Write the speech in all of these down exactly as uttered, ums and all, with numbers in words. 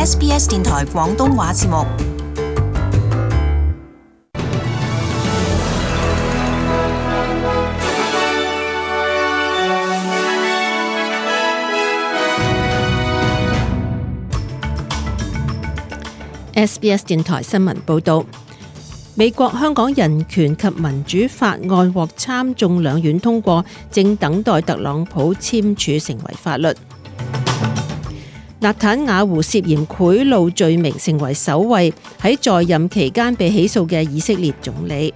S B S 電台廣東話節目。S B S 電台新聞報道，美國香港人權及民主法案獲參眾兩院通過，正等待特朗普簽署成為法律。納坦雅胡涉嫌賄賂罪名，成為首位喺在任期間被起訴嘅以色列總理。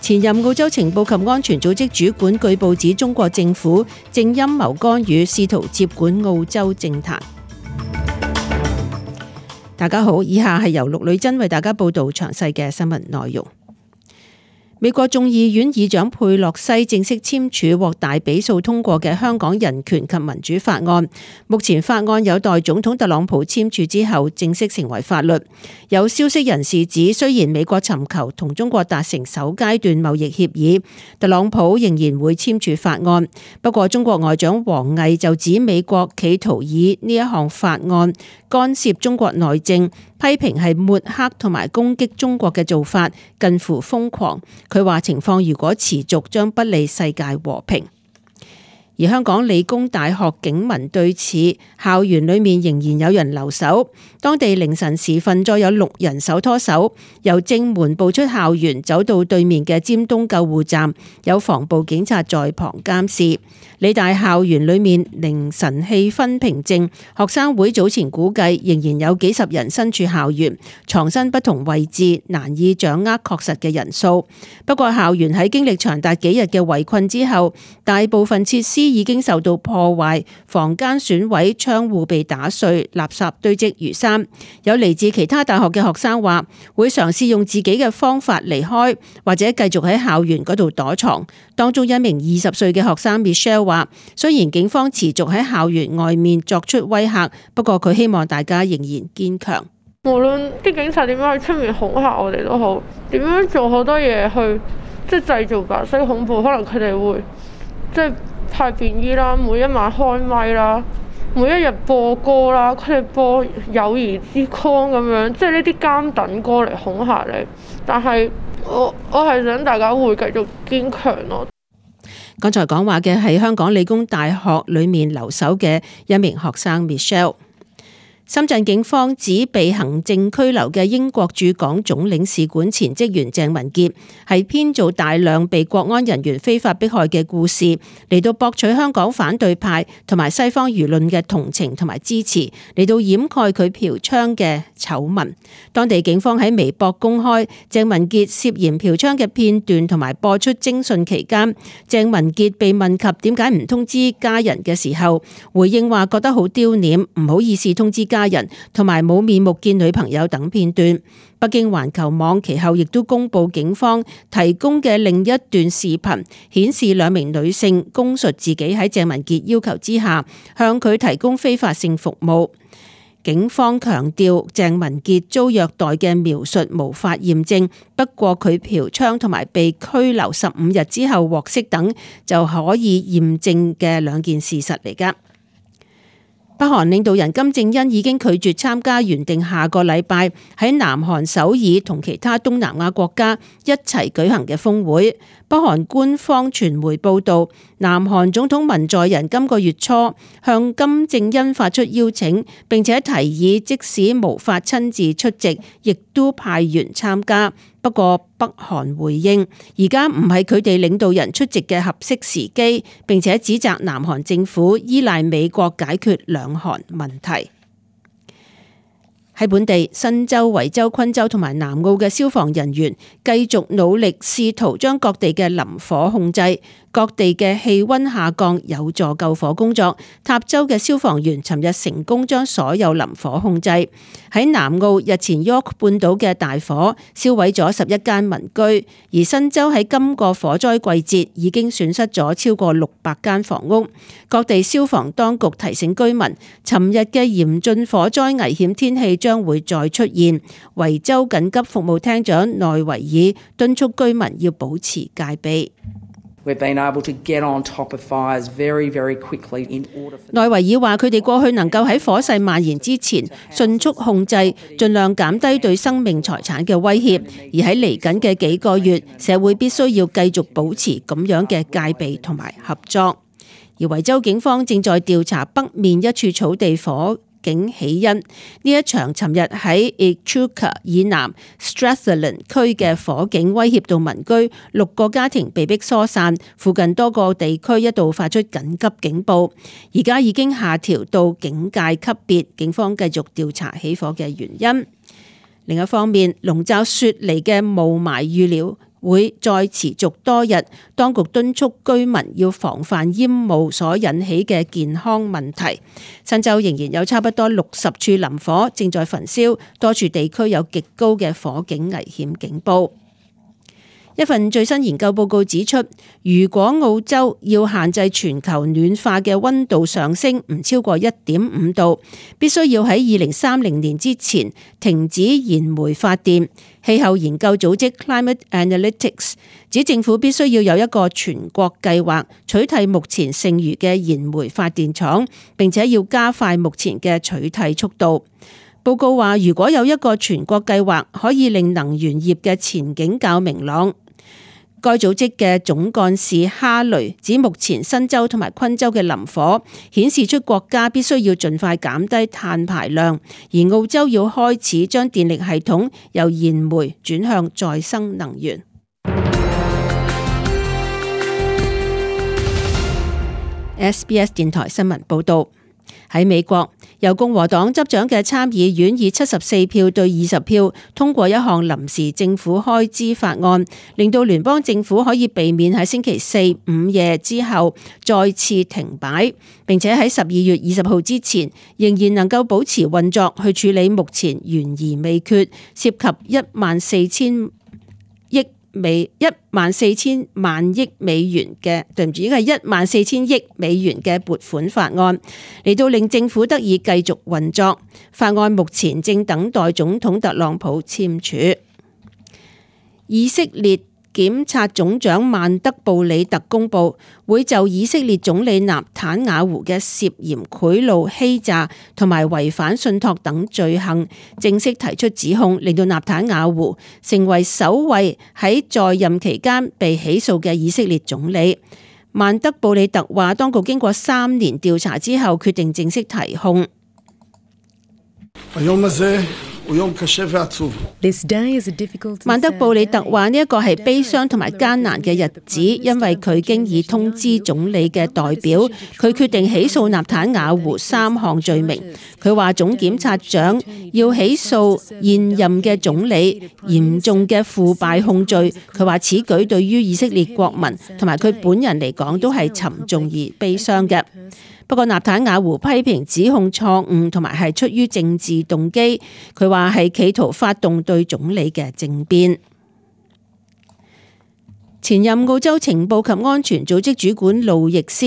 前任澳洲情報及安全組織主管據報指，中國政府正陰謀干預，試圖接管澳洲政壇。大家好，以下係由陸女真為大家報道詳細嘅新聞內容。美國眾議院議長佩洛西正式簽署獲大比數通過嘅香港人權及民主法案，目前法案有待總統特朗普簽署之後正式成為法律。有消息人士指，雖然美國尋求同中國達成首階段貿易協議，特朗普仍然會簽署法案。不過中國外長王毅就指美國企圖以呢一項法案干涉中國內政，批評係抹黑同埋攻擊中國嘅做法近乎瘋狂。佢話情況如果持續，將不利世界和平。而香港理工大學警民對峙，校園裏面仍然有人留守。當地凌晨時分，再有六人手拖手由正門步出校園，走到對面嘅尖東救護站，有防暴警察在旁監視。理大校園裏面凌晨氣氛平靜，學生會早前估計仍然有幾十人身處校園，藏身不同位置，難以掌握確實嘅人數。不過校園喺經歷長達幾日嘅圍困之後，大部分設施已經受到破壞，房間損毀，窗戶被打碎，垃圾堆積如山。有嚟自其他大學嘅學生話，會嘗試用自己嘅方法離開，或者繼續喺校園嗰度躲藏。當中一名二十歲嘅學生 Michelle 話，雖然警方持續喺校園外面作出威嚇，不過佢希望大家仍然堅強。無論啲警察點樣喺出面恐嚇我哋都好，點樣做好多嘢去即係製造白色恐怖，可能佢哋會即係派便衣啦，每一晚開咪啦，每一日播歌啦，佢哋播友誼之光咁樣，即係呢啲監等歌嚟恐嚇你。但係我我係想大家會繼續堅強咯。剛才講話嘅係香港理工大學裏面留守嘅一名學生 Michelle。深圳警方指被行政拘留嘅英國駐港總領事館前職員鄭文傑係編造大量被國安人員非法迫害嘅故事，嚟到博取香港反對派同埋西方輿論嘅同情同埋支持，嚟到掩蓋佢嫖娼嘅醜聞。當地警方喺微博公開鄭文傑涉嫌嫖娼嘅片段同埋播出徵訊期間，鄭文傑被問及點解唔通知家人嘅時候，回應話覺得好丟臉，唔好意思通知家人，同埋冇面目見女朋友等片段。北京環球網其後亦都公布警方提供嘅另一段視頻，顯示兩名女性供述自己喺鄭文傑要求之下向佢提供非法性服務。警方強調鄭文傑遭虐待嘅描述無法驗證，不過佢嫖娼同埋被拘留十五日之後獲釋等就可以驗證嘅兩件事實嚟㗎。北韓領導人金正恩已經拒絕參加原定下個禮拜喺南韓首爾同其他東南亞國家一齊舉行嘅峰會。北韓官方傳媒報道，南韓總統文在寅今個月初向金正恩發出邀請，並且提議即使無法親自出席，亦都派員參加。不過北韓回應，而家唔係佢哋領導人出席嘅合適時機，並且指責南韓政府依賴美國解決兩韓問題。喺本地，新州、維州、昆州同埋南澳嘅消防人員繼續努力，試圖將各地嘅林火控制。各地嘅氣溫下降有助救火工作。塔州嘅消防員尋日成功將所有林火控制。喺南澳，日前 York 半島嘅大火燒毀咗十一間民居，而新州喺今個火災季節已經損失咗超過六百間房屋。各地消防當局提醒居民，尋日嘅嚴峻火災危險天氣將會再出現。維州緊急服務廳長內維爾敦促居民要保持戒備。We've been able to get on top of fires very, very quickly in order for... 內維爾話：佢哋過去能夠喺火勢蔓延之前迅速控制，盡量減低對生命財產嘅威脅。而喺嚟緊嘅幾個月，社會必須要繼續保持咁樣嘅戒備同埋合作。而維州警方正在調查北面一處草地火警起因，呢一場尋日喺 Echuca 以南 Strathland 區嘅火警威脅到民居，六個家庭被迫疏散，附近多個地區一度發出緊急警報，而家已經下調到警戒級別，警方繼續調查起火嘅原因。另一方面，籠罩雪梨嘅霧霾預料會再持續多日，當局敦促居民要防範煙霧所引起嘅健康問題。新州仍然有差不多六十處林火正在焚燒，多處地區有極高嘅火警危險警報。一份最新研究報告指出，如果澳洲要限制全球暖化嘅溫度上升唔超過一點五度，必須要喺二零三零年之前停止燃煤發電。氣候研究組織 Climate Analytics 指政府必須要有一個全國計劃取替目前剩餘嘅燃煤發電廠，並且要加快目前嘅取替速度。報告話，如果有一個全國計劃，可以令能源業嘅前景較明朗。該組織嘅總幹事哈雷指，目前新州同埋昆州嘅林火顯示出國家必須要盡快減低碳排量，而澳洲要開始將電力系統由燃煤轉向再生能源。S B S 電台新聞報道。喺美國，由共和黨執掌嘅參議院以七十四票對二十票通過一項臨時政府開支法案，令到聯邦政府可以避免喺星期四午夜之後再次停擺，並且喺十二月二十號之前仍然能夠保持運作，去處理目前懸而未決涉及一萬四千億美一萬四千萬億美元嘅，對唔住，應該係一萬四千億美元嘅撥款法案，嚟到令政府得以繼續運作。法案目前正等待總統特朗普簽署。以色列檢察總長曼德布里特公布，會就以色列總理納坦雅胡嘅涉嫌賄賂、欺詐同埋違反信託等罪行正式提出指控，令到納坦雅胡成為首位喺在，在任期間被起訴嘅以色列總理。曼德布里特話，當局經過三年調查之後，決定正式提控。曼德布里特話呢一個係悲傷同埋艱難嘅日子，因為佢經已通知總理嘅代表，佢決定起訴納坦雅胡三項罪名。佢話總檢察長要起訴現任嘅總理嚴重嘅腐敗控罪。佢話此舉對於以色列國民同埋佢本人嚟講都係沉重而悲傷嘅。不過納坦雅胡批評指控錯誤同埋係出於政治動機，佢話係企圖發動對總理嘅政變。前任澳洲情報及安全組織主管路易斯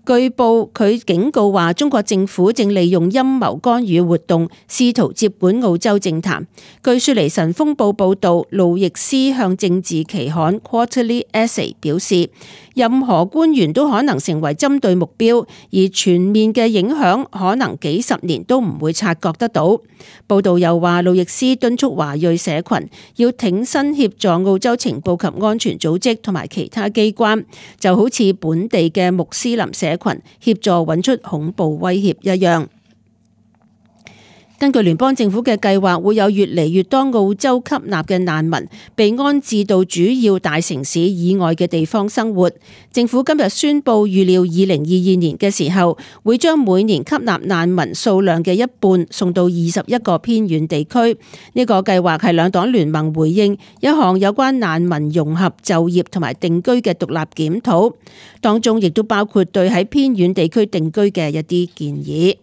據報佢警告話，中國政府正利用陰謀干預活動，試圖接管澳洲政壇。據雪梨晨鋒報報道，路易斯向政治期刊 Quarterly Essay 表示，任何官員都可能成為針對目標，而全面嘅影響可能幾十年都唔會察覺得到。報道又話，路易斯敦促華裔社群要挺身協助澳洲情報及安全組織同埋其他機關，就好似本地嘅穆斯林社群協助揾出恐怖威脅一樣。根據聯邦政府嘅計劃，會有越嚟越多澳洲吸納嘅難民被安置到主要大城市以外嘅地方生活。政府今日宣布，預料二零二二年嘅時候，會將每年吸納難民數量嘅一半送到二十一個偏遠地區。呢個計劃係兩黨聯盟回應一項有關難民融合就業同埋定居嘅獨立檢討，當中亦都包括對喺偏遠地區定居嘅一啲建議。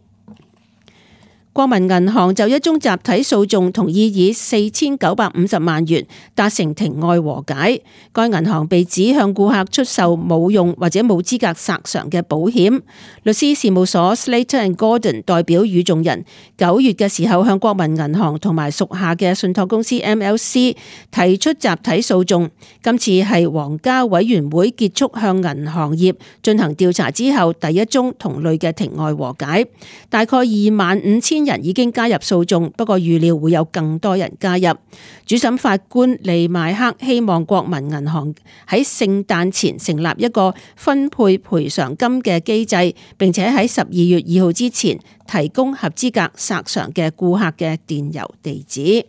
國民銀行就一宗集體訴訟同意以四千九百五十萬元達成庭外和解。該銀行被指向顧客出售冇用或者冇資格索償嘅保險。律師事務所 Slater and Gordon 代表與眾人九月嘅時候向國民銀行同埋屬下嘅信託公司 M L C 提出集體訴訟。今次係皇家委員會結束向銀行業進行調查之後第一宗同類嘅庭外和解。大概二萬五千人已經加入訴訟，不過預料會有更多人加入。主審法官利邁克希望國民銀行喺聖誕前成立一個分配賠償金嘅機制，並且喺十二月二號之前提供合資格索償嘅顧客嘅電郵地址。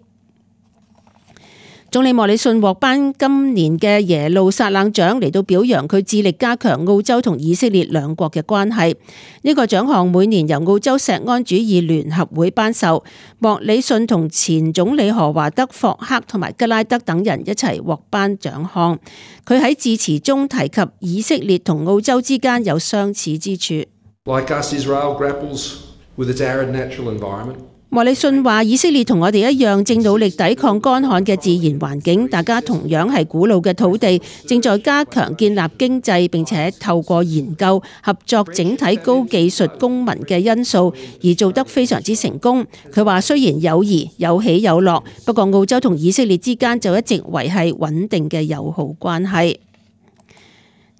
總理莫里遜獲頒今年嘅耶路撒冷獎嚟到表揚佢致力加強澳洲同以色列兩國嘅關係。呢個獎項每年由澳洲錫安主義聯合會頒授，莫里遜同前總理何華德霍克同埋吉拉德等人一齊獲頒獎項。佢喺致辭中提及以色列同澳洲之間有相似之處。Like us, Israel grapples with its arid natural environment. 莫里遜話：以色列同我哋一樣，正努力抵抗乾旱嘅自然環境。大家同樣係古老嘅土地，正在加強建立經濟，並且透過研究合作整體高技術公民嘅因素而做得非常之成功。佢話：雖然友誼有起有落，不過澳洲同以色列之間就一直維繫穩定嘅友好關係。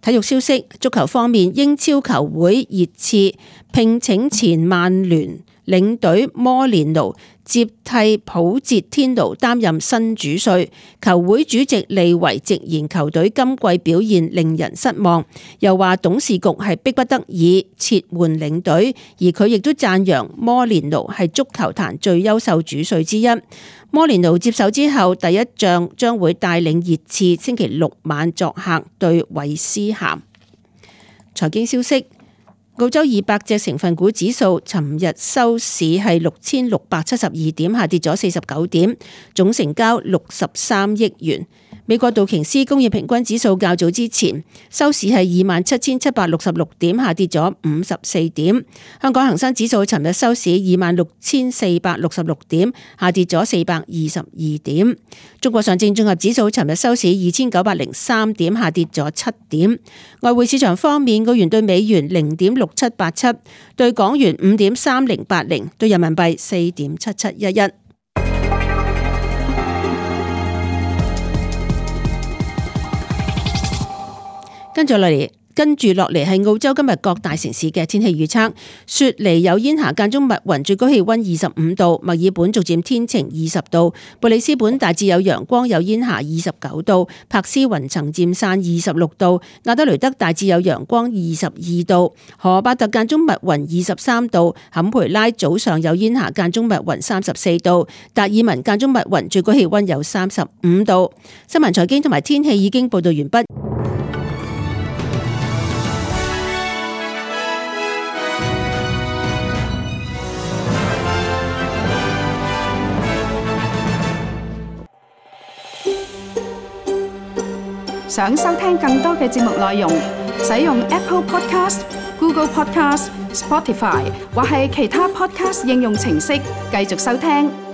體育消息，足球方面，英超球會熱刺聘請前曼聯領隊摩連奴接替普捷天奴擔任新主帥。球會主席利維直言球隊今季表現令人失望，又話董事局係迫不得已撤換領隊，而佢亦都讚揚摩連奴係足球壇最優秀主帥之一。摩連奴接手之後第一仗將會帶領熱刺星期六晚作客對韋斯咸。財經消息，澳洲二百隻成分股指數尋日收市係六千六百七十二點，下跌咗四十九點，總成交六十三億元。美國道瓊斯工業平均指數較早之前收市係二萬七千七百六十六點，下跌咗五十四點。香港恒生指數尋日收市二萬六千四百六十六點，下跌咗四百二十二點。中國上證綜合指數尋日收市二千九百零三點，下跌咗七點。外匯市場方面，澳元對美元零點六七八七，對港元五點三零八零，對人民幣四點七七一一。跟住落嚟，跟住落嚟係澳洲今日各大城市嘅天氣預測。雪梨有煙霞間中密雲，最高氣溫二十五度；墨爾本逐漸天晴二十度；布里斯本大致有陽光有煙霞二十九度；柏斯雲層漸散二十六度；亞德雷德大致有陽光二十二度；荷巴特間中密雲二十三度；坎培拉早上有煙霞間中密雲三十四度；達爾文間中密雲最高氣溫有三十五度。新聞財經同埋天氣已經報道完畢。想收聽更多嘅節目內容，使用 Apple Podcast、Google Podcast、Spotify 或係其他 Podcast 應用程式繼續收聽。